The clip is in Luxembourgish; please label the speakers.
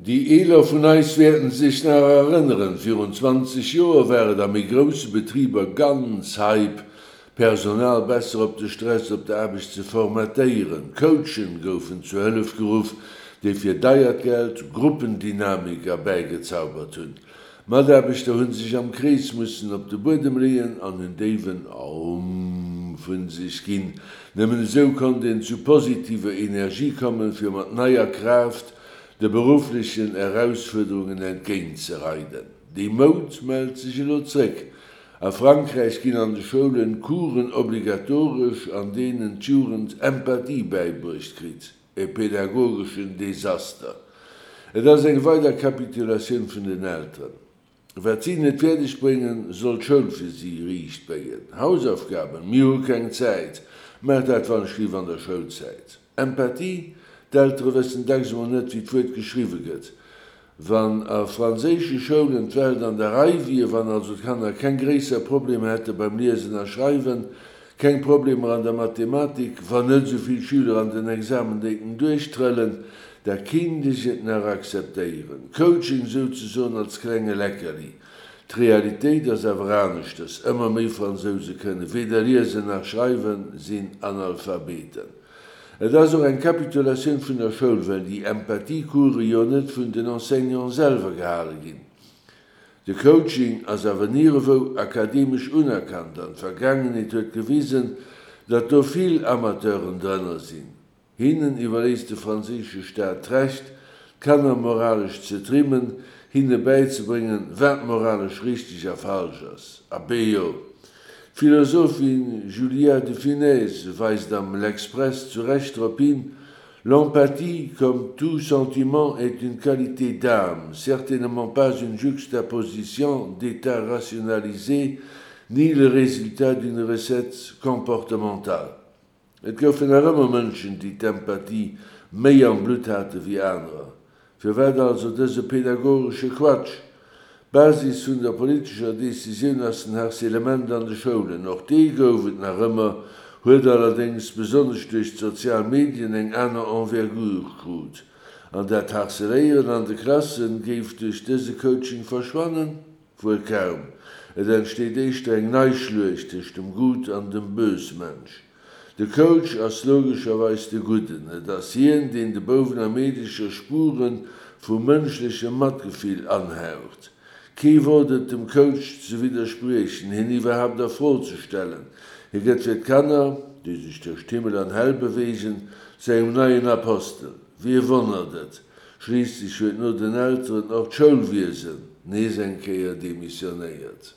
Speaker 1: Déi Eeler vun eis wäerten sech nach erënneren, virun 20 Joer war et a méi grousse Betriber ganz hype, d'Personal besser op de Stress op der Aarbecht ze formatéieren. Coachen goufen zur Hëllef geruff, déi fir deiert Geld Gruppendynamik erbäigezaubert hunn. D'Mataarbechter hunn sech am Krees mussen op de Buedem leeën an en déiwen Aum vun sech ginn. Nëmmen esou konnt een zu positiver Energie kommen, fir mat neier Kraaft de berufflechen Erausfuerderungen entgéint ze reiden. Déi Moud mellt sech elo zréck. A Frankräich ginn an de Schoulen Coursen obligatoresch, an deenen d'Jugend Empathie bäibruecht kritt. E pädagogeschen Desaster. Et ass eng weider Kapitulatioun vun den Elteren. Wat si net fäerdeg bréngen, soll d'Schoul fir si riicht béien. Hausaufgaben? Mir hu keng Zäit. Maach dat wannschliff an der Schoulzäit. Empathie? D'Eltere wëssen dacks emol net, wéi d'Wuert geschriwwe gëtt. Wann a franséische Schoulen d'Welt an der Rei wier, wann also d'Kanner keng gréisser Problemer hätte beim Liesen a Schreiwen, keng Problemer an der Mathematik, wann net esou vill Schüler an den Examen déiten duerchtrëllen, da kinnt ech et nach akzeptéieren. Coaching souzesoen als klenge Leckerli. D'Realitéit ass awer aneschters, ëmmer méi Fransouse kënne weder liesen nach schreiwen, sinn Analphabeten. Et ass och eng Kapitulatioun vun der Schoul, well déi Empathie-Course jo net vun den Enseignanten selwer gehale ginn. De Coaching ass awer nierewou akademesch unerkannt an d'Vergaangenheet huet gewisen, datt do vill Amateuren drënner sinn. Hinnen iwwerléisst de franséische Staat d'Recht, d'Kanner moralesch ze trimmen, hinne bäizebréngen, wat moralesch richteg a falsch ass. Abee jo! D'Philosophin Julia de Funès weist am L'Express zu Recht drop hin, L'empathie, comme tout sentiment, est une qualité d'âme, certainement pas une juxtaposition d'états rationalisés, ni le résultat d'une recette comportementale. Et goufen nach ëmmer Mënschen, déi d'Empathie méi am Blutt hate wéi anerer. Firwat also dëse pedagogesche Quatsch? D'Basis vun der politescher Decisioun ass den Harcèlement an de Schoulen. Och dee gouf et nach ëmmer, huet allerdéngs besonnesch duerch d'sozial Medien eng aner Envergure krut. An dat Harceléieren an de Klasse géif duerch dëse Coaching verschwannen? Wuel kaum. Et entsteet éischter eng nei Schluecht tëscht dem Gut an dem Bösmensch. De Coach ass logescherweis de Gudden. Et ass hien, deen de Bouwen a Meedecher Spure vu mënschlechem Matgefill anhaucht. Kee wot et dem Coach ze widderspriechen, hien iwwerhaapt a Fro ze stellen. Hie gëtt fir d'Kanner, déi sech tëscht Himmel an Häll beweegen, zu engem neien Apostel. Wie wonnert et? Schliisslech huet no den Elteren och d'Schoulwiesen nees eng Kéier demissionéiert.